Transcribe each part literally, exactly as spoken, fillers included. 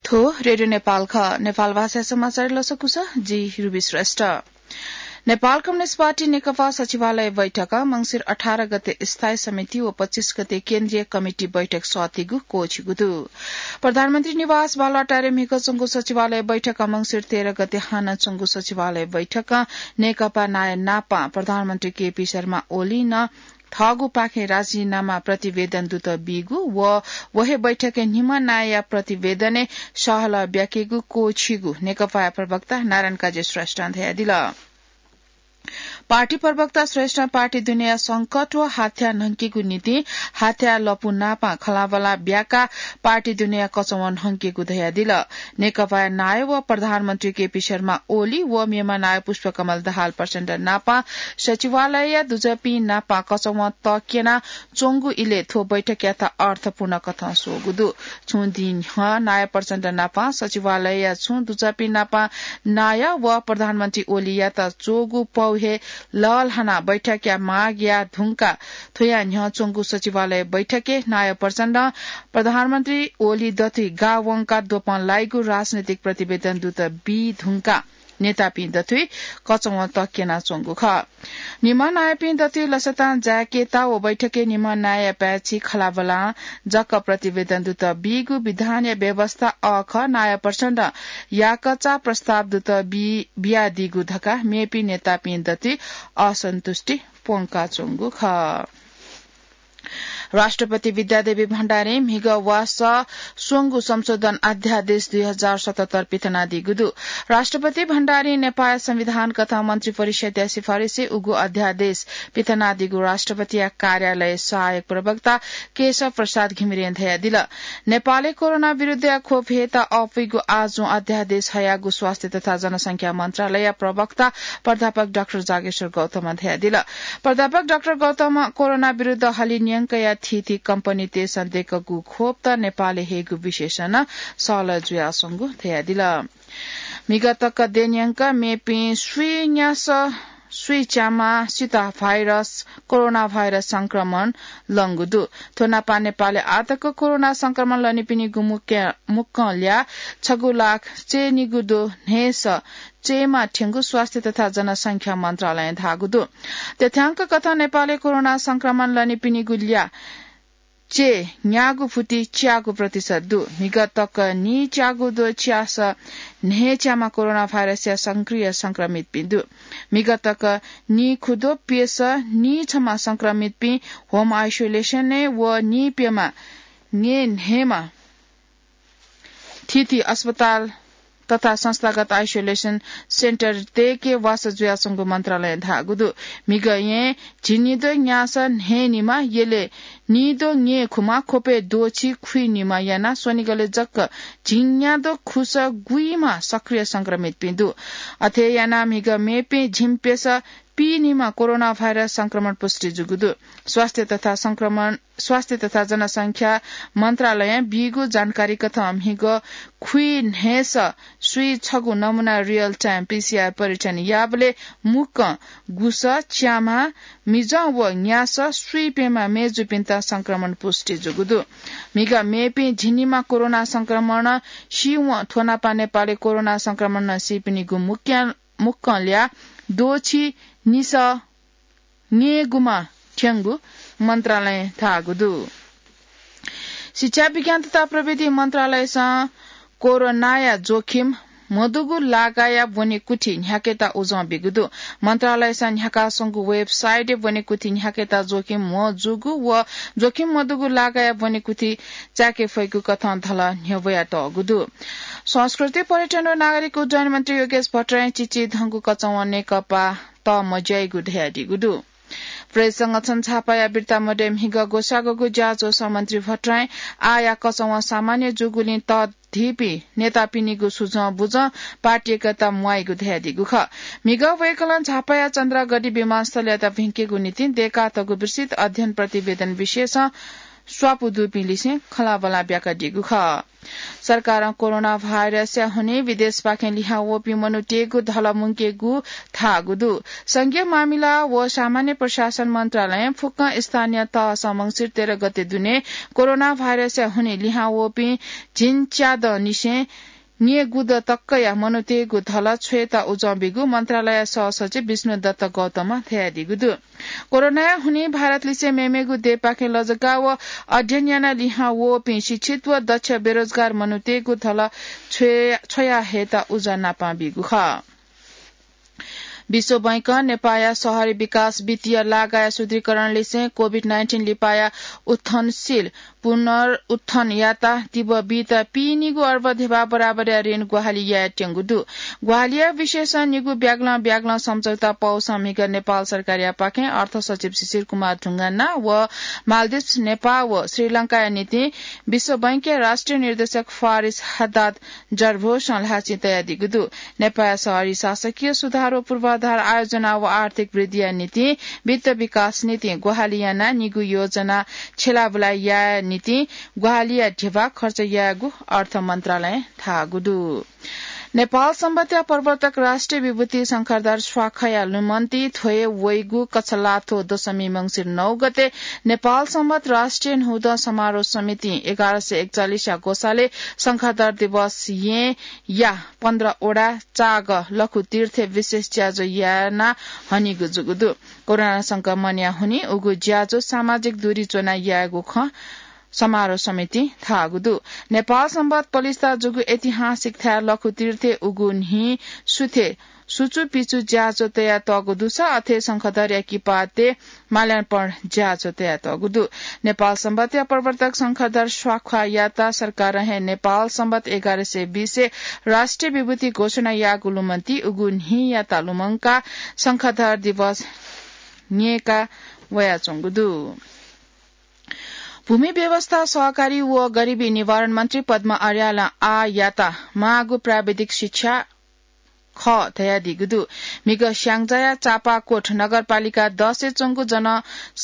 थ्व रेडियो नेपाल खः। नेपाल भाषा समाचार लसकुस, जि रुबी श्रेष्ठ। नेपाल कम्युनिस्ट पार्टी नेकपा सचिवालय बैठक मंसिर अठार गते स्थायी समिति व पच्चीस गते केन्द्रीय कमिटी बैठक सःतीगु क्वःछिगु दु। प्रधानमन्त्री निवास बालुवाटारे म्हिगः च्वंगु सचिवालय बैठक मंसिर तेह्र गते हानं च्वंगु सचिवालय बैठक नेकपा नायः नापं प्रधानमन्त्री केपी शर्मा ओलीं थःगु पाखें राजीनामा प्रतिवेदन दुत बीगु व व हे बैठकय् निम्ह नायःया प्रतिवेदनय् सहलह ब्याकेगु क्वःछिगु नेकपाया प्रवक्ता नारायण काजी श्रेष्ठं धयादिल। पार्टी प्रवक्ता श्रेष्ठं पार्टी दुनेया संकट व हाथ्या न्हंकेगु निंतिं हाथ्या लपु नापं खँल्हाबल्हा ब्याकाः पार्टी दुनेया कचवं न्हंकेगु धयादिल। नेकपाया नायः व प्रधानमन्त्री केपी शर्मा ओली व मेम्ह नायः पुष्पकमल दाहाल प्रचण्ड नापं सचिवालयया दुजःपिं नापं कचवं तक्यना च्वंगु इलय् थ्व बैठकयात अर्थपूर्ण कथं स्वःगु दु। छुं दिं न्ह्यः नायः प्रचण्ड नापं सचिवालयया छुं दुजःपिं नापं नायः व प्रधानमन्त्री ओलीयात च्वःगु पौ हे लःल्हानाः बैठकया मागया धुंकाः थ्वया न्ह्यः च्वंगु सचिवालय बैठकय् नायः प्रचण्डं प्रधानमन्त्री ओली दथुइ गाः वंकाः द्वपं लाइगु राजनैतिक प्रतिवेदन दुत बी धुंकाः नेतापिं दथुइ कचवं तक्यना च्वंगु खः। निम्ह नायःपिं दथुइ लसतां जाय्‌केत व बैठकय् निम्ह नायःया पाय्‌छि खँल्हाबल्हां जक प्रतिवेदन दुत बीगु विधानया व्यवस्था अःखः नायः प्रचण्डं याकःचा प्रस्ताव दुत बी-, बियादीगु धकाः मेपिं नेतापिं दथुइ असन्तुष्टि प्वंकाच्वंगु खः। राष्ट्रपति विद्यादेवी भण्डारीं म्हिगः वाःस स्वंगू संशोधन अध्यादेश दुई हजार सतहत्तर पिथनादीगु दु। राष्ट्रपति भण्डारीं नेपाल संविधान कथं मन्त्री परिषद्या सिफारिसय् उगु अध्यादेश पिथनादीगु राष्ट्रपतिया कार्यालय सहायक प्रवक्ता केशव प्रसाद घिमिरें धयादिल। नेपालय् कोरोना विरुद्धया खोप हयेत अःपुइगु आजुं अध्यादेश हयागु स्वास्थ्य तथा जनसंख्या मन्त्रालयया प्रवक्ता प्राध्यापक डाक्टर जागेश्वर गौतमं धयादिल। प्राध्यापक डाक्टर गौतमं कोरोना विरुद्ध हलिं न्यंकया थीथी कम्पनीतय्‌सं दय्‌कूगु खोपत नेपालय् हयेगु विषयसं नं सहलह जुयाच्वंगु धयादिल। म्हिगः तक दँय्‌न्यंक मेपिं स्वीं न्यासः स्वीच्याम्ह सिता भाइरस, कोरोना भाइरस संक्रमण लंगु दु। थ्व नापं नेपालय् आःतक कोरोना संक्रमण लनीपिनिगु मुक्य-, मुक्कं ल्याः छगू लाख चय्‌निगू दु न्हय्‌सः चय्‌म्ह थ्यंगु स्वास्थ्य तथा जनसंख्या मन्त्रालयं धाःगु दु। तथ्याङ्क कथं नेपालय् कोरोना संक्रमण लनीपिनिगु ल्याः चय् न्यागू फुति च्यागू प्रतिशत दु। म्हिगः तक नीच्यागू दु च्यासः न्हय्‌च्याम्ह कोरोना भाइरसया सक्रिय संक्रमितपिं दु। म्हिगः तक नीखुद्वः प्यसः नीछम्ह संक्रमितपिं होम आइसोलेसनय् व नीप्यम्ह न्यय् न्हय्‌म्ह थीथी अस्पताल तथा संस्थागत आइसोलेसन सेन्टरय् वासः जुयाच्वंगु मन्त्रालयं धाःगु दु। म्हिगः येँ झिंनिद्वः न्यासः न्हय्‌निम्ह, यलय् नीद्वः न्यय्‌खुम्ह, ख्वपय् द्वःछि खुइनिम्ह यानाः स्वनिगलय् जक झिंन्याद्वः खुसः गुइम्ह सक्रिय संक्रमितपिं दु। अथे यानाः म्हिगः मेपिं झिंप्यसः पीनिम्ह कोरोना भाइरस संक्रमण पुष्टि जूगु दु। स्वास्थ्य तथा संक्रमण, स्वास्थ्य तथा जनसंख्या मन्त्रालयं बीगु जानकारी कथं म्हिगः खुइ न्हय्‌सः स्वीं छगू नमूना रियल टाइम पीसीआर परीक्षण याःबलय् मुक्कं गुसः च्याम्ह मिजं व न्यासः स्वीप्यम्ह मय्‌जुपिन्त संक्रमण पुष्टि जूगु दु। म्हिगः मेपिं झिंनिम्ह कोरोना संक्रमणं सीवं थ्व नापं नेपालय् कोरोना संक्रमणं सीपिनिगु मुक्या मुक्कं ल्याः द्वःछि निसः न्यय्‌गुम्ह थ्यंगु मन्त्रालयं धाःगु दु। शिक्षा, विज्ञान तथा प्रविधि मन्त्रालयसं कोरोनाया जोखिम मदुगु लागाया ब्वनेकुथि न्ह्याकेत उजं बीगु दु। मन्त्रालयसं न्ह्याकाः स्वंगु वेबसाइटय् ब्वनेकुथि न्ह्याकेत जोखिम मजूगु व जोखिम मदुगु लागाया ब्वनेकुथि चाय्‌के फइगु कथं धलः न्ह्यब्वयातःगु दु। संस्कृति, पर्यटन व नागरिक उड्डयन मन्त्री योगेश भट्टराईं चिचिधंगु कचवं नेकपा तःमज्याइगु धयादीगु दु। प्रेस संगठन झापाया बिर्ता मदय् म्हिगः ग्वसाग्वःगु ज्याझ्वलय् मन्त्री भट्टराईं आःया कचवं सामान्य जूगुलिं तःधीपिं नेतापिनिगु सुझं बुझं पार्टी एकता म्वाइगु धयादीगु खः। म्हिगः वय्‌कलं झापाया चन्द्रागढी विमानस्थलयात भिंकेगु निंतिं दय्‌कातःगु विस्तृत अध्ययन प्रतिवेदन विषयसं स्वापू दुपिं लिसें खँल्हाबल्हा ब्याकादीगु खः। सरकारं कोरोना भाइरसया हुनिं विदेशपाखें लिहां वःपिं मनूतय्गु धल मुंकेगु धाःगु दु। संघीय मामिला व सामान्य प्रशासन मन्त्रालयं फुक्कं स्थानीय तहसं मंसिर तेह्र गते दुने कोरोना भाइरसया हुनिं लिहां वःपिं झिंच्यादँनिसें न्यय्गुद तकया मनूतय्गु धल छ्वयेत उजं बीगु मन्त्रालय सहसचिव विष्णुदत्त गौतमं धयादीगु दु। कोरोनाया हुनिं भारतलिसे मेमेगु देय्पाखें लजगाः व अध्ययन यानाः लिहां वःपिं शिक्षित व दक्ष बेरोजगार मनूतय्गु धल छ्वया, छ्वया हयेत उजं नापं बीगु खः। विश्व बैंकं नेपाःया शहरी विकास वित्तीय लागाया सुदृढीकरण लिसें कोभिड नाइन्टिन लिपाया उत्थनशील पुनरुत्थन याता तिब बीत पीनिगू अर्ब ध्यबा बराबरया ऋण ग्वाहालि यायेत्यंगु दु। ग्वाहालिया विषयसं निगू ब्यागलं ब्यागलं सम्झौता पौसं म्हिगः नेपाल सरकारयापाखें अर्थ सचिव शिशिर कुमार ढुङ्गाना व मालदिप्स, नेपाः व श्रीलंकाया निंतिं विश्व बैंकया राष्ट्रिय निर्देशक फारिस हद्दाद जर्भोसं ल्हाःचिं तयादीगु दु। नेपाःया शहरी शासकीय सुधार व पूर्वाधार आयोजना व आर्थिक वृद्धिया निंतिं वित्त विकास निंतिं ग्वाहालि यानाः निगू योजना छ्यलाबुला याये निंतिं ग्वाहालिया ध्यबा खर्च यायेगु अर्थ मन्त्रालयं धाःगु दु। नेपाल संवत्‌या प्रवर्तक राष्ट्रिय विभूति शंखधर स्वाखाया लुमन्ति थ्वय् वइगु कछलाथ्व दशमी मंसिर नौ गते नेपाल संवत् राष्ट्रिय न्हूदँ समारोह समितिं एघार सय एकचालिसया ग्वसालय् शंखधर दिवस येँया पन्ध्र वडा चाग लखुतीर्थय् विशेष ज्याझ्वः याना हनीगु जूगु दु। कोरोना संक्रमणया हुनिं उगु ज्याझ्वः सामाजिक दूरी च्वना यायेगु खँ समारोह समितिं धाःगु दु। नेपाल संवत् पलिस्था जूगु ऐतिहासिक थाय् लखुतीर्थय् उगु न्हि सुथय् सुचुपिचु ज्याझ्वः तयातःगु दुसा अथे शंखधरया किपातय् माल्यार्पण ज्याझ्वः तयातःगु दु। नेपाल संवत्‌या प्रवर्तक शंखधर स्वाखायात सरकारं हे नेपाल संवत् एघार सय बीसय् राष्ट्रिय विभूति घोषणा याःगु लुमन्ति उगु न्हियात लुमंकाः शंखधर दिवस न्यय्का वयाच्वंगु दु। भूमि व्यवस्था, सहकारी व गरिबी निवारण मन्त्री पद्म अर्यालं आःयात माःगु प्राविधिक शिक्षा खः धयादीगु दु। म्हिगः स्याङ्जाया चापाकोट नगरपालिका दसय् च्वंगु जन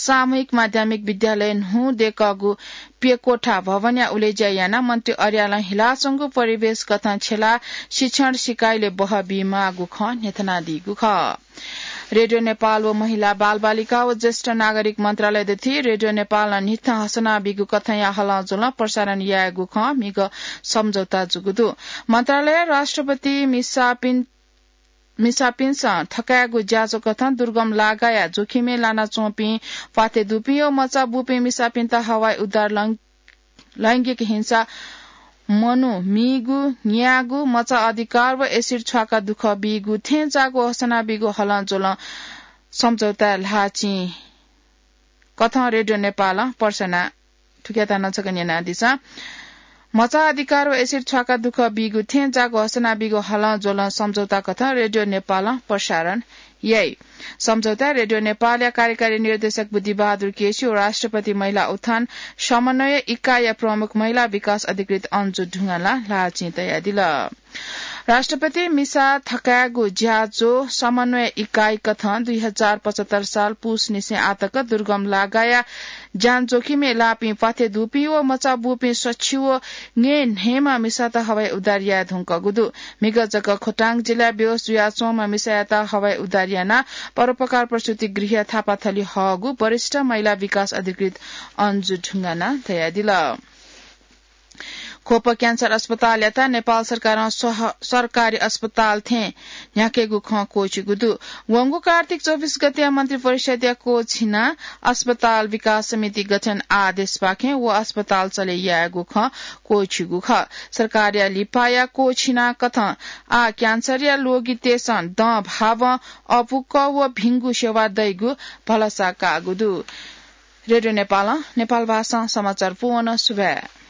सामूहिक माध्यमिक विद्यालय न्हू दय्कःगु प्यकोठा भवनया उलेज्या यानाः मन्त्री अर्यालं हिलाच्वंगु परिवेश कथं छ्यलाः शिक्षण सिकाइलय् बहः बीमाःगु खँ न्ह्यथनादीगु खः। रेडियो नेपाल व महिला, बालबालिका व ज्येष्ठ नागरिक मन्त्रालय दथुइ रेडियो नेपालं न्हिथं हसना बीगु कथंया हलंज्वलं प्रसारण यायेगु खँ म्हिगः सम्झौता जूगु दु। मन्त्रालयं राष्ट्रपति मिसापिं, मिसापिन्सं थकायेगु ज्याझ्वः कथं दुर्गम लागाया जोखिमय् लानाच्वंपिं प्वाथय् दुपिं व मचा बूपिं मिसापिन्त हवाई उद्धार लं लैंगिक हिंसा, मनू मीगु, न्यागू, मचा अधिकार व एसिड छ्वाका दुःख बीगु थें जाःगु हसना बीगु हलंज्वलं सम्झौता ल्हाःचिं कथं रेडियो नेपालं पर्सना थुकियात नं छकः न्यनादिसँ। मचा अधिकार व एसिड छ्वाका दुःख बीगु थें जाःगु हसना बीगु हलंज्वलं सम्झौता कथं रेडियो नेपालं प्रसारण याइ। सम्झौता रेडियो नेपालया कार्यकारी निर्देशक बुद्धिबहादुर केसी व राष्ट्रपति महिला उत्थान समन्वय इकाइया प्रमुख महिला विकास अधिकृत अन्जु ढुङ्गानां ल्हाःचिं तयादिल। राष्ट्रपति मिसा थकायेगु ज्याझ्वः समन्वय इकाइ कथं दुई हजार पचहत्तर साल पुसनिसें आतक दुर्गम लागाया ज्यान जोखिमय् लाःपिं प्वाथय् दुपिं व मचा बूपिं सछि व न्हय्न्हय्म्ह मिसात हवाई उद्धार याये धुंकूगु दु। म्हिगः जक खोटाङ जिल्लाय् बेहोस जुयाच्वंम्ह मिसायात हवाई उद्धार यानाः परोपकार प्रसूति गृहया थापाथली हःगु वरिष्ठ महिला विकास अधिकृत अन्जु ढुङ्गानां धयादिल। ख्वप क्यान्सर अस्पतालयात नेपाल सरकारं सह-, सरकारी अस्पताल थें न्ह्याकेगु खँ क्वःछिगु दु। वंगु कार्तिक चौबिस गतेया मन्त्रिपरिषद्या क्वःछिना अस्पताल विकास समिति गठन आदेशपाखें व अस्पताल चले यायेगु खँ क्वःछिगु खः। सरकारया लिपाया क्वःछिना कथं आः क्यान्सरया लोगितय्सं दँ भावं अपुक्क व भिंगु सेवा दइगु भलसा काःगु दु। रेडियो नेपालं नेपाल भाषां समाचार पूवन। सुभाय्।